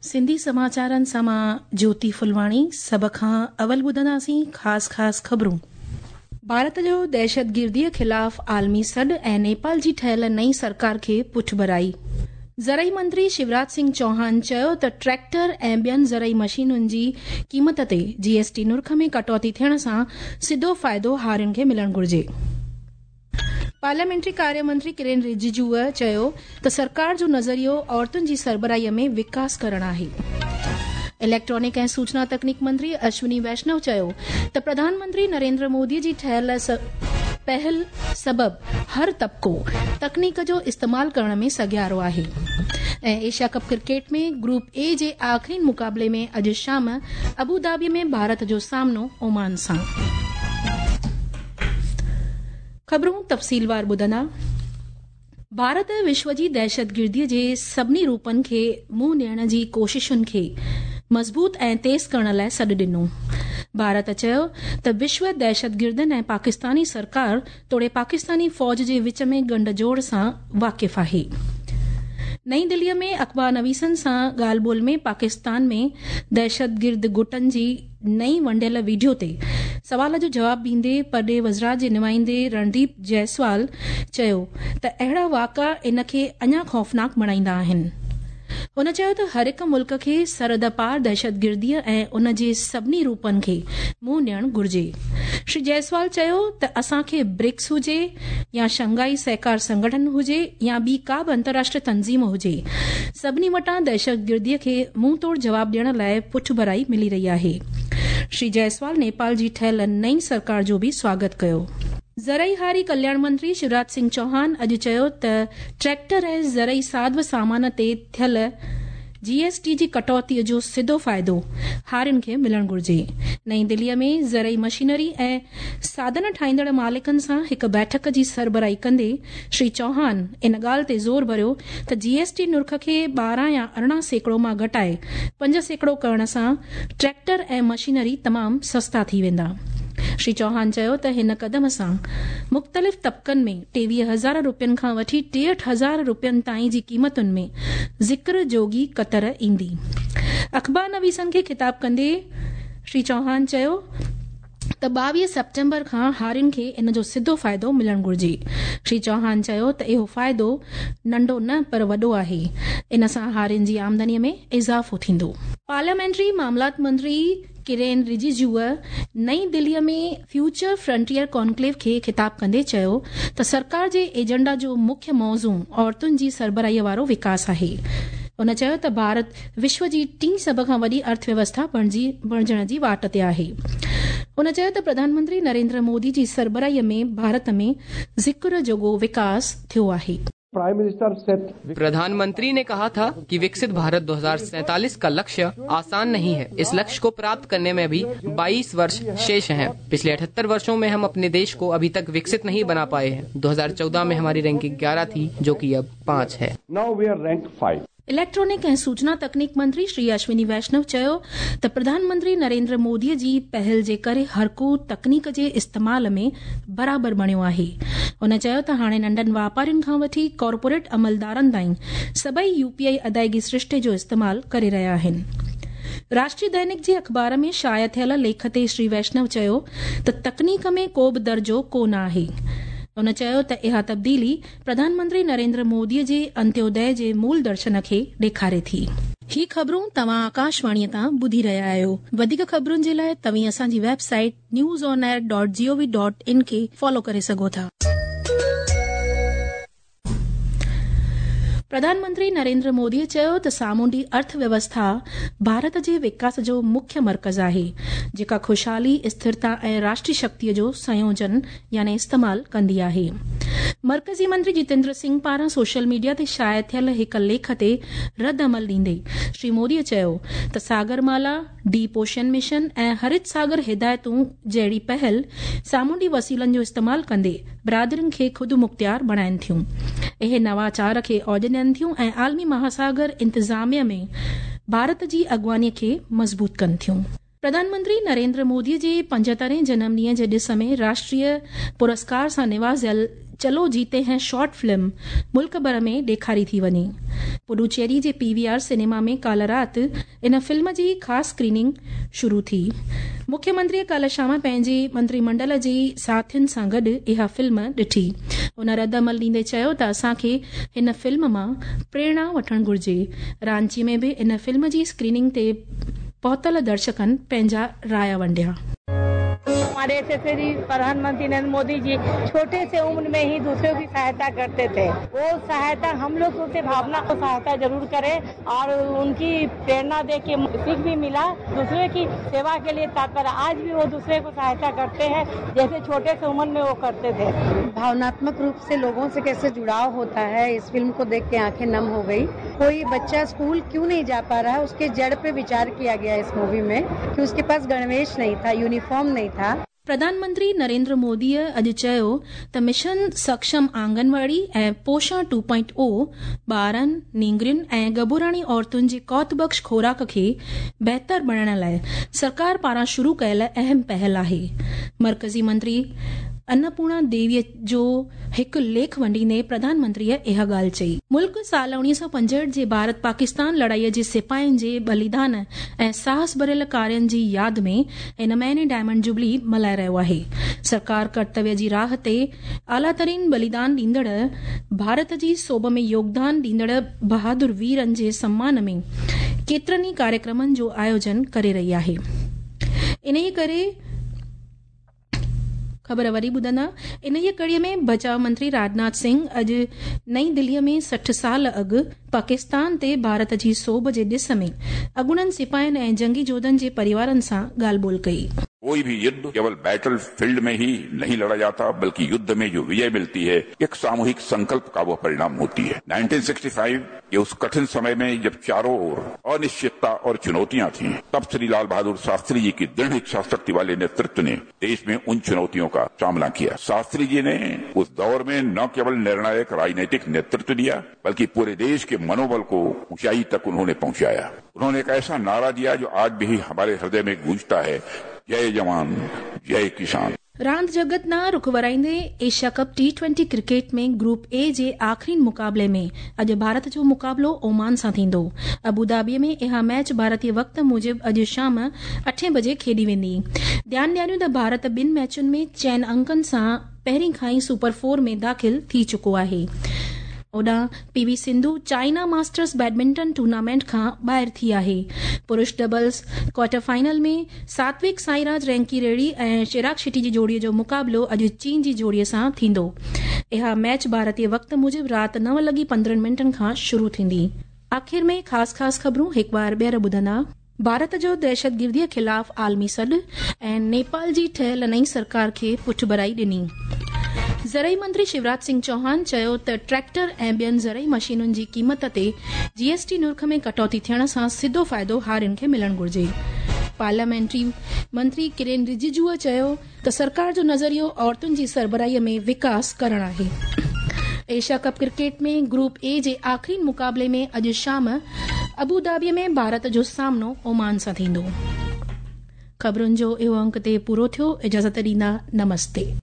سنڌي سماچارن سان مان جوتي ڦلواڻي سڀ کان اول ٻڌنداسين خاص خاص خبرون. ڀارت جو دهشتگرديء خلاف عالمي سڏ ۽ نيپال جي ٺهيل نئين سرڪار کي پٺڀرائي. زرعي منتري شيوراج سنگهه چوهان چيو ته ٽريڪٽر ۽ ٻين زرعي مشينن جي قيمت تي جي ايس ٽي نرخ ۾ ڪٽوتي ٿيڻ سان سڌو فائدو هارين کي ملڻ گهرجي. پارليامينٽري ڪاريه منتري ڪرين رجيجوء چيو ته سرڪار جو نظريو عورتن جي سربراهي ۾ وڪاس ڪرڻ آهي. اليڪٽرانڪ ۽ سوچنا تڪنيڪ منتري اشوني ويشنو چيو ته پرڌان منتري نريندر مودي جي ٺهيل پهل سبب هر طبقو تڪنيڪ جو استعمال ڪرڻ ۾ سگهيارو آهي ۽ Asia cup cricket ۾ group A جي آخرين مقابلي ۾ اڄ شام ابوڌابي ۾ ڀارت جو سامنو اومان سان. خبرون تفصيلوار ٻڌندا. ڀارت وشو جي دهشتگردي جي سڀني روپن کي منهن ڏيڻ جي ڪوششن کي مضبوط ۽ تيز ڪرڻ لاء سڏ ڏنو. ڀارت چيو ته وشو دهشتگردن ۽ پاڪستاني سرڪار توڙي پاڪستاني فوج جي وچ ۾ ڳنڍ جوڙ سان واقف آهي. نئين دلي ۾ اخبار نويسن سان ڳالهه ٻولهه ۾ پاڪستان ۾ دهشتگرد گٽن جي نئين ونڊيل وڊيو تي سوال جو جواب ڏيندي پرڏيهه وزارت جي نمائندي رڻديپ جئسوال چيو ته اهڙا واقعا ان کي اڃا خوفناڪ بڻائيندا آهن. هن چيو ته هر هڪ ملڪ کي سرحد پار دهشتگرديء ۽ ان جي سڀني روپن کي منهن ڏيڻ گهرجي. شري جئسوال چيو ته اسان کي برڪس هجي يا شنگهائي سهڪار سنگٺن هجي يا ٻي ڪا به انترراشٽريه تنظيم هجي سڀني وٽان دهشتگرديء کي منهن ٽوڙ جواب ڏيڻ لاء پٺڀرائي ملي رهي آهي. شري جئسوال نيپال جي ٺهيل نئين سرڪار جو به سواگت ڪيو. زرعي هاري ڪلياڻ منتري شيوراج سنگهه چوهان اڄ چيو ته ٽريڪٽر ۽ زرعي ساڌ و سامان تي ٿيل جي ايس ٽي جي ڪٽوتي جو سڌو فائدو هارين کي ملڻ گهرجي. نئين دلي ۾ زرعي مشينري ۽ ساڌن ٺاهيندڙ مالڪن سان هڪ بيٺڪ جي سربراهي ڪندي شري چوهان ان ڳالهه تي زور ڀريو ته جي ايس ٽي نرخ کي 12 يا 18% مان گهٽائي 5% ڪرڻ سان ٽريڪٽر ۽ مشينري تمام سستا ٿي ويندا. شري چوهان چيو ته هن قدم سان مختلف طبقن ۾ 23 هزار روپين کان وٺي 63 هزار روپين تائين جي قيمتن ۾ ذڪر جوڳي ڪتر ايندي. اخبار نويسن کي خطاب ڪندي شري چوهان چيو ته 22 سيپٽمبر کان هارين کي ان جو سڌو فائدو ملڻ گهرجي. شري چوهان چيو ته اهو فائدو ننڍو نه پر وڏو آهي، ان سان هارين جي آمدني ۾ اضافو ٿيندو. پارليامينٽري معاملات منتري ڪرين رجيجوء نئين دلي ۾ فيوچر فرنٽيئر ڪانڪليو کي خطاب ڪندي چيو ته سرڪار جي ايجنڊا جو مکيه موضوع عورتن جي سربراهي وارو وڪاس آهي. هن چيو ته ڀارت وشو جي ٽين سڀ کان وڏي ارٿ ويوسٿا بڻجي بڻجڻ جي واٽ تي آهي. هن چيو ته پرڌان منتري نريندر مودي جي سربراهي ۾ ڀارت ۾ ذڪر جوڳو وڪاس ٿيو آهي. پرائم منسٽر سيٽ प्रधानमंत्री ने कहा था कि विकसित भारत 2047 का लक्ष्य आसान नहीं है। इस लक्ष्य को प्राप्त करने में अभी 22 वर्ष शेष हैं। पिछले 78 वर्षों में हम अपने देश को अभी तक विकसित नहीं बना पाए हैं। 2014 में हमारी रैंकिंग 11 थी, जो कि अब 5 है। Now we are rank 5. Electronic ऐं सूचना तकनीक मंत्री श्री अश्विनी वैष्णव चयो त प्रधानमंत्री नरेंद्र मोदीअ जी पहल जे करे हर को तकनीक जे इस्तेमाल में बराबर बणियो आहे। हुन चयो त हाणे नंढनि वापारियुनि खां वठी कॉरपोरेट अमलदारनि ताईं सभई यूपीआई अदायगी सृष्टे जो इस्तेमाल करे रहिया आहिनि। राष्ट्रीय दैनिक जे अख़बार में शाया थियल लेख ते श्री वैष्णव चयो त तकनीक में को बि दर्जो कोन आहे। हुन चयो त इहा तब्दीली प्रधानमंत्री नरेंद्र मोदीअ जे अंत्योदय जे मूल दर्शन खे ॾेखारे थी। ही ख़बरूं तव्हां आकाशवाणीअ तां ॿुधी रहिया आहियो। वधीक ख़बरुनि जे लाइ तव्हीं असांजी वेबसाइट newsonair.gov.in खे फॉलो करे सघो था। प्रधानमंत्री नरेंद्र मोदीअ चयो त सामुंडी अर्थ व्यवस्था भारत जे विकास जो मुख्य मर्कज़ आहे, जेका ख़ुशहाली, स्थिरता ऐं राष्ट्रीय शक्तिअ जो संयोजन यानी इस्तेमाल कंदी आहे। मर्कज़ी मंत्री जितेंद्र सिंह पारां सोशल मीडिया ते शाया थियल हिकु लेख ते रद्द अमल ॾींदे श्री मोदीअ चयो त सागरमाला, डीप ओशन मिशन ऐं हरित सागर हिदायतूं जहिड़ी पहल सामुंडी वसीलनि जो इस्तेमाल कंदे बिरादरियुनि खे ख़ुदि मुख़्तियार बणाइनि थियूं। इहे नवाचार खे औज ॾियनि थियूं ऐं आलमी महासागर इंतिज़ामिया में भारत जी अॻुवानीअ खे मज़बूत कनि थियूं। प्रधानमंत्री नरेंद्र मोदीअ जे 75 जनम ॾींहं जे ॾिस में राष्ट्रीय पुरस्कार सां निवाज़ियल چلو جيتي هين شارٽ فلم ملڪ ڀر ۾ ڏيکاري ٿي وڃي. پڊوچيري جي پي وي آر سئنيما ۾ ڪالهه رات ان فلم جي خاص اسڪريننگ شروع ٿي. مکيه منتريء ڪالهه شام پنهنجي منتري منڊل جي ساٿين سان گڏ اها فلم ڏٺي. هن رد عمل ڏيندي چيو ته اسان کي هن فلم مان پريرڻا وٺڻ گهرجي. رانچي ۾ به ان فلم جي اسڪريننگ تي پهتل درشڪن پنهنجا رايا ونڊيا. हमारे यशस्वी प्रधानमंत्री नरेंद्र मोदी जी छोटे से उम्र में ही दूसरों की सहायता करते थे। वो सहायता हम लोग उनसे भावना को सहायता जरूर करें और उनकी प्रेरणा दे के सीख भी मिला। दूसरे की सेवा के लिए तत्पर आज भी वो दूसरे को सहायता करते हैं, जैसे छोटे से उम्र में वो करते थे। भावनात्मक रूप से लोगों से कैसे जुड़ाव होता है, इस फिल्म को देख के आंखें नम हो गई। कोई बच्चा स्कूल क्यों नहीं जा पा रहा है, उसके जड़ पे विचार किया गया इस मूवी में कि उसके पास गणवेश नहीं था, यूनिफॉर्म नहीं था। प्रधानमंत्री नरेंद्र मोदीअ अॼु चयो त मिशन सक्षम आंगनवाड़ी ऐं पोषण 2.0 ॿारनि, नींगरियुनि ऐं ॻबूराणी औरतुनि जी क़ौतबख़्श खोराक खे बहितर बणाइण लाइ सरकार पारां शुरू कयल अहम पहल आहे। मर्कज़ी मंत्री अन्नपूर्णा देवीअ जो हिकु लेख वंडींदे प्रधानमंत्रीअ इहा ॻाल्हि चई। मुल्क साल 1965 जे भारत पाकिस्तान लड़ाईअ जे सिपाहियुनि जे बलिदान ऐं साहस भरियल कार्यनि जी याद में हिन महीने डायमंड जुबली मल्हाए रहियो आहे। सरकार कर्तव्य जी राह ते आला तरीन बलिदान ॾींदड़ भारत जी सोभ में योगदान ॾींदड़ बहादुर वीरनि जे सम्मान में केतिरनि ई कार्यक्रमनि जो आयोजन करे रही आहे। इन्हीअ करे ख़बर वरी ॿुधंदा। इन्हीअ कड़ीअ में बचाव मंत्री राजनाथ सिंह अॼु नई दिल्लीअ में 60 साल अॻु पाकिस्तान ते भारत जी सोभ जे ॾिस में अॻूणनि सिपाहियुनि ऐं जंगी जोधनि जे परिवारनि सां ॻाल्हि ॿोल कई। कोई भी युद्ध केवल बैटल फील्ड में ही नहीं लड़ा जाता, बल्कि युद्ध में जो विजय मिलती है एक सामूहिक संकल्प का वो परिणाम होती है। 1965 ये उस कठिन समय में जब चारों ओर अनिश्चितता और चुनौतियां थीं, तब श्री लाल बहादुर शास्त्री जी की दृढ़ इच्छा शक्ति वाले नेतृत्व ने देश में उन चुनौतियों का सामना किया। शास्त्री जी ने उस दौर में न केवल निर्णायक राजनीतिक नेतृत्व दिया, बल्कि पूरे देश के मनोबल को ऊंचाई तक उन्होंने पहुंचाया। उन्होंने एक ऐसा नारा दिया जो आज भी हमारे हृदय में गूंजता है, जय जवान जय किसान। रांदि जगत ॾांहुं रुख वराईंदे Asia cup T20 cricket में ग्रुप ए जे आख़िरी मुक़ाबले में अॼु भारत जो मुक़ाबिलो ओमान सां थींदो। अबू धाबीअ में इहा मैच भारतीय वक़्त मूजिबि अॼु शाम 8 बजे खेॾी वेंदी। ध्यानु ॾियारियूं त भारत ॿिनि मैचुनि में 4 अंकनि सां पहिरीं खां ई सुपर 4 में दाख़िल थी चुको आहे। होॾां PV Sindhu China masters badminton tournament खां ॿाहिरि थी आहे। पुरुष डबल्स क्वार्टर फाइनल में सात्विक साईराज रैंकी रेड्डी ऐं चिराग शेट्टी जी जोड़ीअ जो मुक़ाबिलो अॼु चीन जी जोड़ीअ सां थींदो। इहा मैच भारतीय वक़्त मूजिबि राति 9:15 खां शुरू थींदी। आख़िर में ख़ासि ख़ासि ख़बरूं हिकु बार ॿीहर ॿुधंदा। भारत जो दहशतगिर्दीअ ख़िलाफ़ आलमी सॾ ऐं नेपाल जी ठहियल नई सरकार खे पुठभराई ॾिनी। ज़रई मंत्री शिवराज सिंह चौहान चयो त ट्रैक्टर ऐं ॿियनि ज़रई मशीनुनि जी क़ीमत ते जीएसटी नुर्ख में कटौती थियण सां सिधो फ़ाइदो हारियुनि खे मिलणु घुर्जे। पार्लियामेंट्री मंत्री किरेन रिजिजूअ चयो त सरकार जो नज़रियो औरतुनि जी सरबराहीअ में विकास करणु आहे। एशिया कप क्रिकेट में ग्रुप ए जे आख़िरी मुक़ाबले में अॼु शाम अबू धाबीअ में भारत जो सामनो ओमान सां थींदो। ख़बरुनि जो इहो अंक ते पूरो थियो। इजाज़त ॾींदा, नमस्ते।